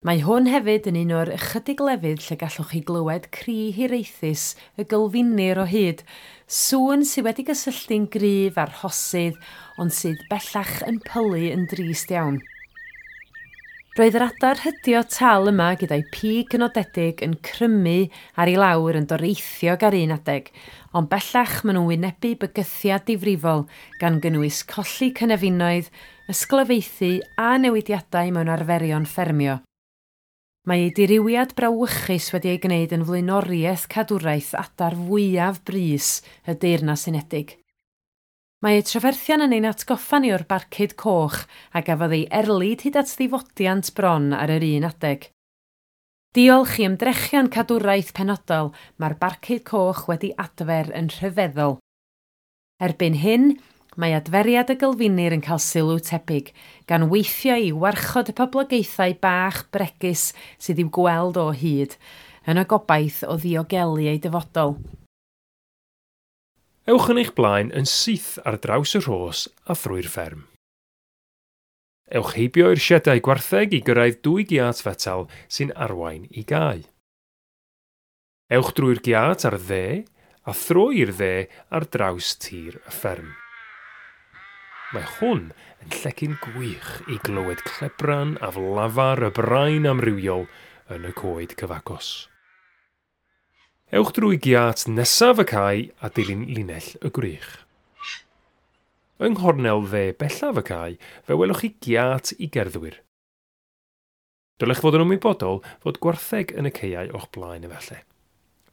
Mae hwn hefyd yn un o'r ychydig lefydd lle gallwch chi glywed cri hiraethus y gylfinir o hyd, sŵn sydd wedi gysylltu'n gryf â'r rhosydd, ond sydd bellach yn pylu yn drist iawn. Roedd yr adar hydio tal yma gyda'i pig nodedig yn crymu ar ei lawr yn doreithiog ar un adeg, ond bellach maen nhw'n wynebu bygythiad difrifol gan gynnwys colli cynefinoedd, ysglyfaethu a newidiadau mewn arferion ffermio. Mae ei diriwiad brawychus wedi ei gwneud yn flaenoriaeth cadwraeth adar fwyaf brys y Deyrnas Unedig. Mae eu trafferthion yn ein atgoffa ni o'r barcud coch a gafodd ei erlid hyd at ddifodiant bron ar yr un adeg. Diolch i ymdrechion cadwraeth penodol, mae'r barcud coch wedi adfer yn rhyfeddol. Erbyn hyn, mae adferiad y gylfinir yn cael sylw tebyg, gan weithio i warchod y poblogaethau bach bregus sydd i'w gweld o hyd, yn y gobaith o ddiogelu eu dyfodol. Ewch yn eich blaen yn syth ar draws y rhos a thrwy'r fferm. Ewch heibio i'r siedau gwartheg i gyrraedd dwy giât fetel sy'n arwain i gae. Ewch drwy'r giât ar dde a throi i'r dde ar draws tir y fferm. Mae hwn yn llecyn gwych i glywed clebran aflafar y brain amrywiol yn y coed cyfagos. Ewch drwy giât nesaf y cae a dilyn linell y gwrych. Yng nghornel dde bellaf y cae, fe welwch chi giât i gerddwyr. Dylech fod yn ymwybodol fod gwartheg yn y caeau o'ch blaen efallai.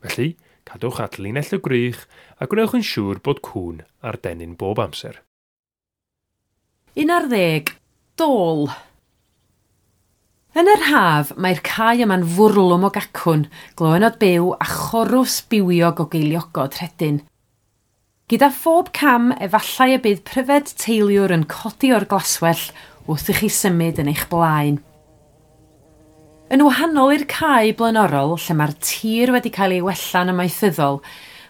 Felly, cadwch at linell y gwrych a gwnewch yn siŵr bod cŵn ar dennyn bob amser. Un ar ddeg, dôl. Yn yr haf, mae'r cae yma'n fwrlwm o gacwn, gloÿnnod byw a chorws bywiog o geiliogod rhedyn. Gyda phob cam, efallai y bydd pryfed teiliwr yn codi o'r glaswellt wrth i chi symud yn eich blaen. Yn wahanol i'r cae blaenorol, lle mae'r tir wedi cael ei wella'n amaethyddol,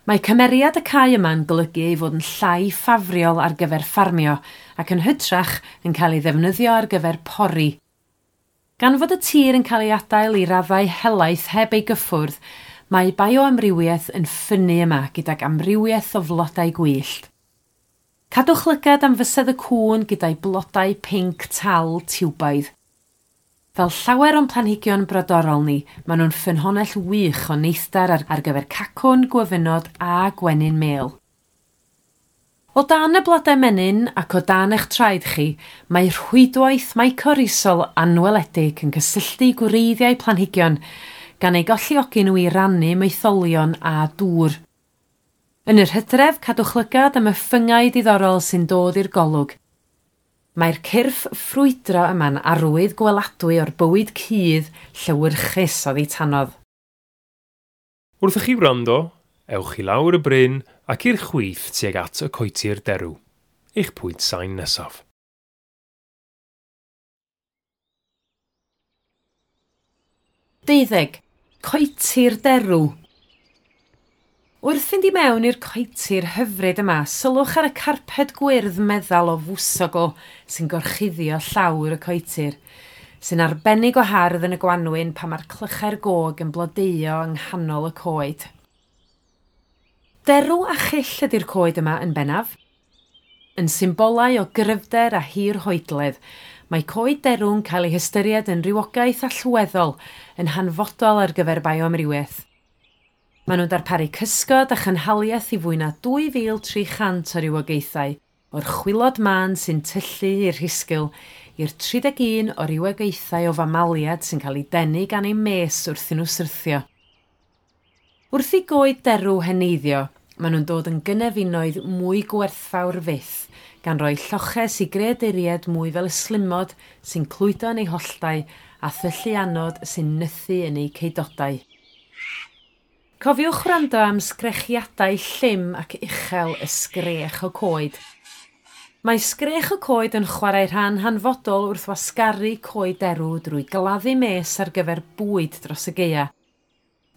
mae cymeriad y cae yma'n golygu ei fod yn llai ffafriol ar gyfer ffarmio ac yn hytrach yn cael ei ddefnyddio ar gyfer pori. Gan fod y tir yn cael ei adael i raddau helaeth heb ei gyffwrdd, mae bioamrywiaeth yn ffynnu yma gydag amrywiaeth o flodau gwyllt. Cadwch lygad am fysedd y cŵn gyda'i blodau pinc tal tiwbaidd. Fel llawer o'n planhigion brodorol ni, maen nhw'n ffynhonnell wych o neithdar ar, ar gyfer cacwn, gwyfynod a gwenyn mêl. O dan y blodau menyn ac o dan eich traed chi, mae rhwydwaith mycorrhizol anweledig yn cysylltu gwreiddiau planhigion, gan eu galluogi nhw i rannu maetholion a dŵr. Yn yr hydref, cadwch lygad am y ffyngau diddorol sy'n dod i'r golwg. Mae'r cyrff ffrwydro yma'n arwydd gweladwy o'r bywyd cudd llewyrchus oddi tanodd. Wrth i chi wrando, ewch i lawr y bryn ac i'r chwith tuag at y coetir derw, eich pwynt sain nesaf. Deuddeg. Coetir derw. Wrth fynd i mewn i'r coetir hyfryd yma, sylwch ar y carped gwyrdd meddal o fwsogl sy'n gorchuddio llawr y coetir, sy'n arbennig o hardd yn y gwanwyn pan mae'r clychau'r gog yn blodeuo yng nghanol y coed. Derw a chyll ydy'r coed yma yn bennaf. Yn symbolau o gryfder a hirhoedledd, mae coed derw'n cael ei hystyried yn rhywogaeth allweddol yn hanfodol ar gyfer bioamrywiaeth. Maen nhw'n darparu cysgod a chynhaliaeth i fwy na dwy fil tri chant o rywogaethau, o'r chwilod mân sy'n tyllu i'r rhisgl, i'r tri deg un o rywogaethau o famaliad sy'n cael ei denu gan eu mes wrth i nhw syrthio. Wrth i goed derw heneiddio, maen nhw'n dod yn gynefinoedd mwy gwerthfawr fyth, gan roi lloches i greaduriaid mwy fel ystlumod sy'n clwydo yn eu holltau a thylluanod sy'n nythu yn eu ceudodau. Cofiwch wrando am sgrechiadau llym ac uchel y sgrech o coed. Mae sgrech y coed yn chwarae rhan hanfodol wrth wasgaru coed derw drwy gladdu mes ar gyfer bwyd dros y gaea.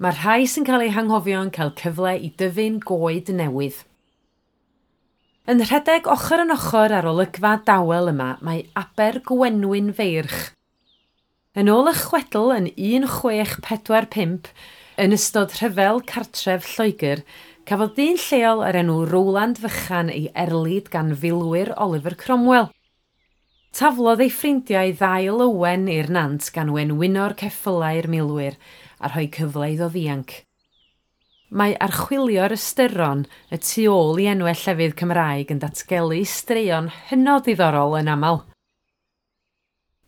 Mae'r rhai sy'n cael eu hanghofio yn cael cyfle i dyfu'n goed newydd. Yn rhedeg ochr yn ochr ar olygfa dawel yma mae Aber Gwenwyn Feirch. Yn ôl y chwedl yn un chwech pedwar pump, yn ystod rhyfel cartref Lloegr, cafodd dyn lleol o'r enw Rowland Fychan ei erlid gan filwyr Oliver Cromwell. Taflodd ei ffrindiau ddail ywen i'r nant gan wenwyno'r ceffylau'r milwyr a rhoi cyfle iddo ddianc. Mae archwilio'r ystyron y tu ôl i enwau llefydd Cymraeg yn datgelu straeon hynod ddiddorol yn aml.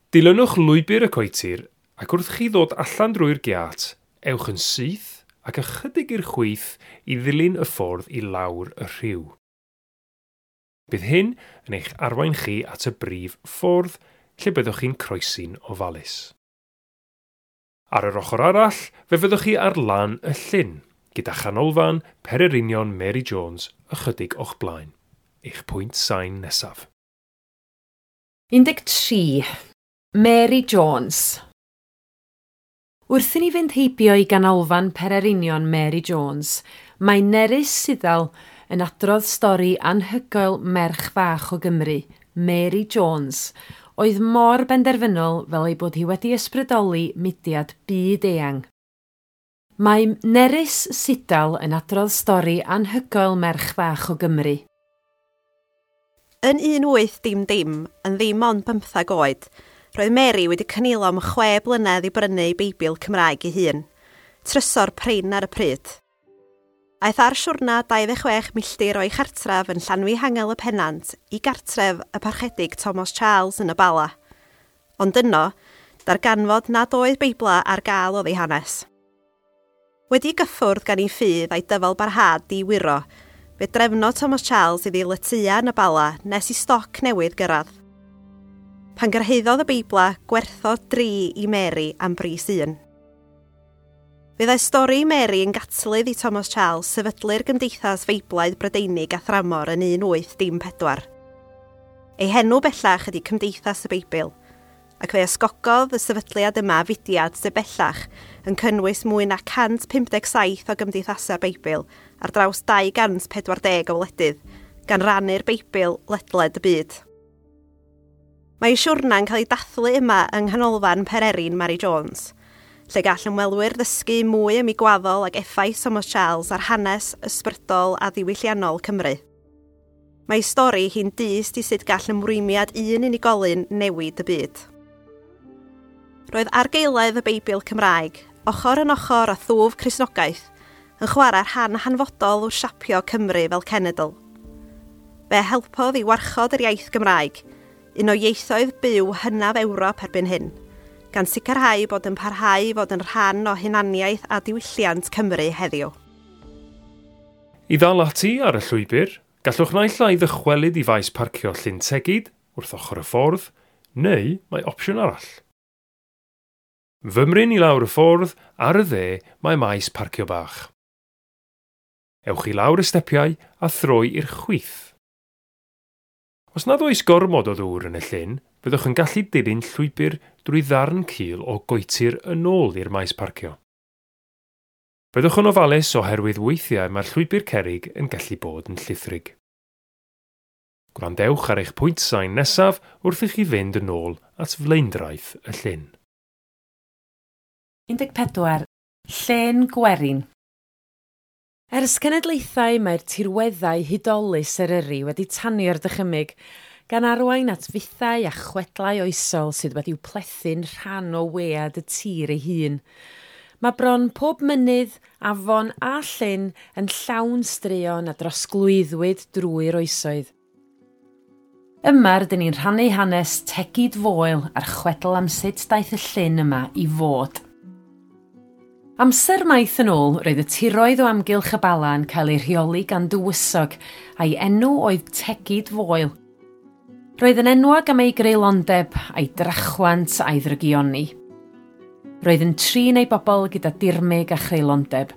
Dilynwch lwybr y coetir ac wrth chi ddod allan drwy'r giât, ewch yn syth ac ychydig i'r chwith i ddilyn y ffordd i lawr y rhiw. Bydd hyn yn eich arwain chi at y brif ffordd lle byddwch chi'n croesi'n ofalus. Ar yr ochr arall, fe fyddwch chi ar lan y llyn, gyda chanolfan Pererinion Mary Jones ychydig o'ch blaen. Eich pwynt sain nesaf. un deg tri. Mary Jones. Wrth i ni fynd heibio i ganolfan Pererinion Mary Jones, mae Nerys Siddal yn adrodd stori anhygoel merch fach o Gymru, Mary Jones, oedd mor benderfynol fel ei bod hi wedi ysbrydoli mudiad byd eang. Mae Nerys Siddal yn adrodd stori anhygoel merch fach o Gymru. Yn un wyth dim dim, yn ddim ond bymthag oed, roedd Mary wedi cynilo am chwe blynedd i brynu ei Beibl Cymraeg ei hun, trysor prin ar y pryd. Aeth ar siwrna dau ddeg chwech milltir o'i chartref yn Llanfihangel y Pennant i gartref y parchedig Thomas Charles yn y Bala. Ond yno, darganfod nad oedd Beibla ar gael oedd ei hanes. Wedi gyffwrdd gan ei ffydd a'i dyfal barhad di wiro, fe drefnodd Thomas Charles iddi letyia yn y Bala nes i stoc newydd gyrraedd. Pan gyrhaeddodd y Beibla, gwerthodd dri i Mary am bris un. Fyddai stori Mary yn gatlydd i Thomas Charles sefydlu'r Gymdeithas Feiblaidd Brydeinig a Thramor yn un wyth dim pedwar. Ei henw bellach ydy Cymdeithas y Beibl, ac fe ysgogodd y sefydliad yma fudiad sydd bellach yn cynnwys mwy na cant pump deg saith o gymdeithasau Beibl ar draws dau gant pedwar deg o wledydd, gan rannu'r Beibl ledled y byd. Mae ei siwrna'n cael ei dathlu yma yng Nghanolfan Pererin Mary Jones, lle gall ymwelwyr ddysgu mwy am ei gwaddol ac effaith Thomas Charles ar hanes ysbrydol a ddiwylliannol Cymru. Mae ei stori hi'n dyst i sut gall ymrwymiad un unigolyn newid y byd. Roedd argaeledd y Beibl Cymraeg, ochr yn ochr â thwf Cristnogaeth, yn chwarae rhan hanfodol wrth siapio Cymru fel cenedl. Fe helpodd i warchod yr iaith Gymraeg, un o ieithoedd byw hynaf Ewrop erbyn hyn, gan sicrhau bod yn parhau i fod yn rhan o hunaniaeth a diwylliant Cymru heddiw. I ddal ati ar y llwybr, gallwch naill ai ddychwelyd i faes parcio Llyn Tegid wrth ochr y ffordd, neu mae opsiwn arall. Fymryn i lawr y ffordd, ar y dde mae maes parcio bach. Ewch i lawr y stepiau a throi i'r chwith. Os nad oes gormod o ddŵr yn y llyn, byddwch yn gallu dilyn llwybr drwy ddarn cul o goetir yn ôl i'r maes parcio. Byddwch yn ofalus oherwydd weithiau mae'r llwybr cerrig yn gallu bod yn llithrig. Gwrandewch ar eich pwynt sain nesaf wrth i chi fynd yn ôl at flaendraeth y llyn. un deg pedwar. Llên Gwerin. Ers cenedlaethau mae'r tirweddau hudolus Eryri wedi tanio'r dychymyg, gan arwain at fythau a chwedlau oesol sydd wedi'w plethu'n rhan o wead y tir ei hun. Mae bron pob mynydd, afon a llyn yn llawn straeon a drosglwyddwyd drwy'r oesoedd. Yma rydyn ni'n rhannu hanes Tegid Foel a'r chwedl am sut daeth y llyn yma i fod. Amser maith yn ôl, roedd y tiroedd o amgylch y Bala yn cael ei rheoli gan dywysog, a'i enw oedd Tegid Foel. Roedd yn enwog am ei greulondeb, a'i drachwant a'i ddrygioni. Roedd yn trin ei bobl gyda dirmyg a chreulondeb.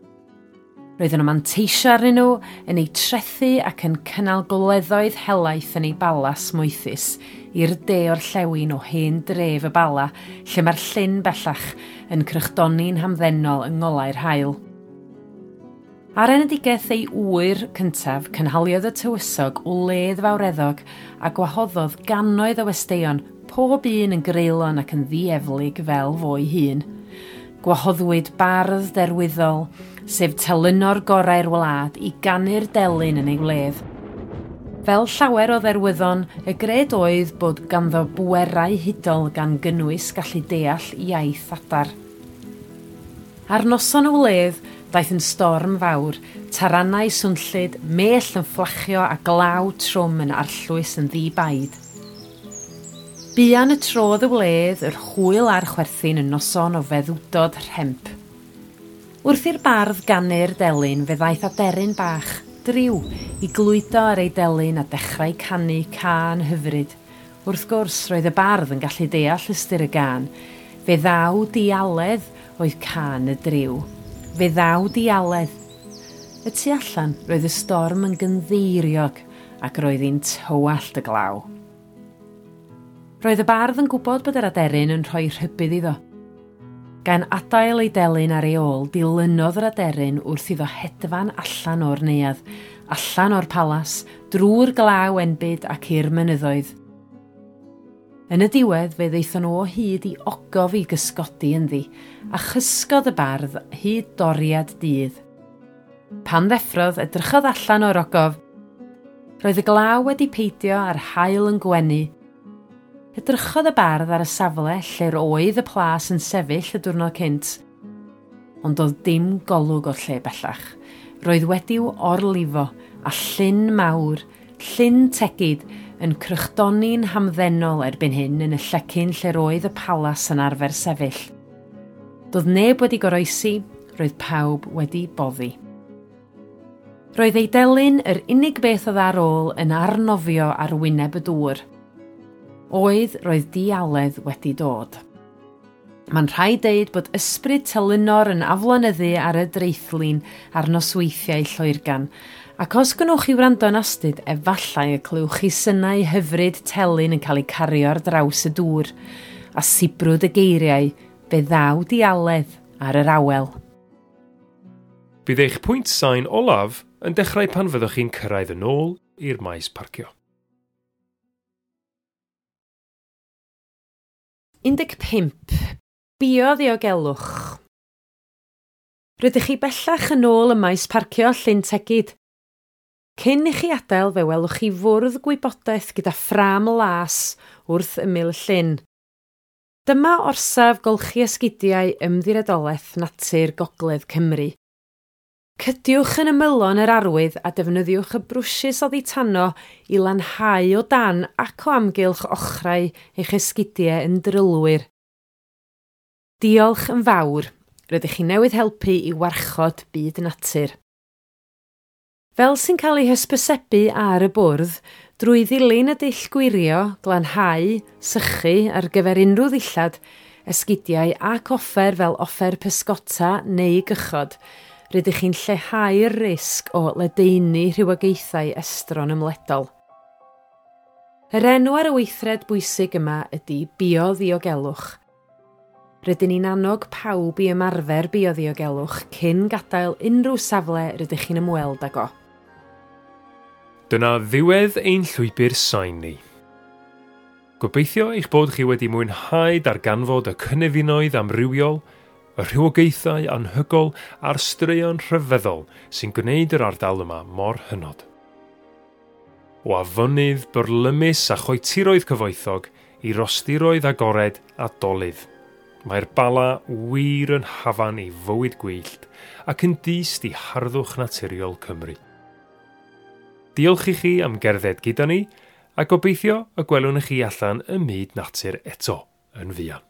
Roedd yn manteisio arnyn nhw, yn eu trethu ac yn cynnal goleddoedd helaeth yn ei balas moethus i'r de orllewin o hen dref y Bala, lle mae'r llyn bellach yn crychdoni'n hamddenol yng ngolau'r haul. Ar enedigaeth ei ŵyr cyntaf, cynhaliodd y tywysog wledd fawreddog a gwahoddodd gannoedd o westeion, pob un yn greulon ac yn ddieflig fel fo'i hun. Gwahoddwyd bardd derwyddol, sef telynor gorau'r wlad, i ganu'r delyn yn ei wledd. Fel llawer o dderwyddon, y gred oedd bod ganddo bwerau hudol gan gynnwys gallu deall iaith adar. Ar noson y wledd, daeth yn storm fawr, taranau swnllyd, mell yn fflachio a glaw trwm yn arllwys yn ddi-baid. Buan y trodd y wledd, yr hwyl a'r chwerthin yn noson o feddwdod rhemp. Wrth i'r bardd ganu'r delyn, fe ddaeth aderyn bach, driw, i glwydo ar ei delyn a dechrau canu cân hyfryd. Wrth gwrs, roedd y bardd yn gallu deall ystyr y gân. Fe ddaw dialedd oedd cân y driw. Fe ddaw dialedd. Y tu allan, roedd y storm yn gynddeiriog ac roedd hi'n tywallt y glaw. Roedd y bardd yn gwybod bod yr aderyn yn rhoi rhybudd iddo. Gan adael ei delyn ar ei ôl, dilynodd yr aderyn wrth iddo hedfan allan o'r neuadd, allan o'r palas, drwy'r glaw enbyd ac i'r mynyddoedd. Yn y diwedd, fe ddaethon nhw o hyd i ogof i gysgodi ynddi, a chysgodd y bardd hyd doriad dydd. Pan ddeffrodd, edrychodd allan o'r ogof. Roedd y glaw wedi peidio a'r haul yn gwenu. Edrychodd y bardd ar y safle lle'r oedd y plas yn sefyll y diwrnod cynt, ond doedd dim golwg o'r lle bellach. Roedd wedi'w orlifo a llyn mawr, Llyn Tegid, yn crychdoni'n hamddenol erbyn hyn yn y llecyn lle'r oedd y palas yn arfer sefyll. Doedd neb wedi goroesi, roedd pawb wedi boddi. Roedd ei delyn yr unig beth oedd ar ôl yn arnofio ar wyneb y dŵr. Oedd, roedd dialedd wedi dod. Mae'n rhaid deud bod ysbryd telynor yn aflonyddu ar y dreithlin ar nosweithiau Lloergan, ac os gwnewch chi wrando yn astud, efallai y clywch chi synau hyfryd telyn yn cael eu cario ar draws y dŵr, a sibrwd y geiriau, fe ddaw dialedd ar yr awel. Bydd eich pwynt sain olaf yn dechrau pan fyddwch chi'n cyrraedd yn ôl i'r maes parcio. un deg pump. Bioddiogelwch. Rydych chi bellach yn ôl ym maes parcio Llyn Tegid. Cyn i chi adael, fe welwch chi fwrdd gwybodaeth gyda ffrâm las wrth ymyl y llyn. Dyma orsaf golchi esgidiau Ymddiriedolaeth Natur Gogledd Cymru. Cydiwch yn ymylon yr arwydd a defnyddiwch y brwshys oddi tano i lanhau o dan ac o amgylch ochrau eich esgidiau yn drylwyr. Diolch yn fawr, rydych chi newydd helpu i warchod byd natur. Fel sy'n cael ei hysbysebu ar y bwrdd, drwy ddilyn y dull gwirio, glanhau, sychu ar gyfer unrhyw ddillad, esgidiau ac offer fel offer pysgota neu gychod, rydych chi'n lleihau'r risg o ledaenu rhywogaethau estron ymledol. Yr enw ar y weithred bwysig yma ydy bioddiogelwch. Rydyn ni'n annog pawb i ymarfer bioddiogelwch cyn gadael unrhyw safle rydych chi'n ymweld ag o. Dyna ddiwedd ein llwybr sain ni. Gobeithio eich bod chi wedi mwynhau darganfod y cynefinoedd amrywiol, y rhywogaethau anhygol a'r straeon rhyfeddol sy'n gwneud yr ardal yma mor hynod. O afonydd byrlymus a choetiroedd cyfoethog i rostiroedd agored a dolydd. Mae'r Bala wir yn hafan i fywyd gwyllt ac yn dyst i harddwch naturiol Cymru. Diolch i chi am gerdded gyda ni a gobeithio y gwelwn chi allan ym myd natur eto yn fuan.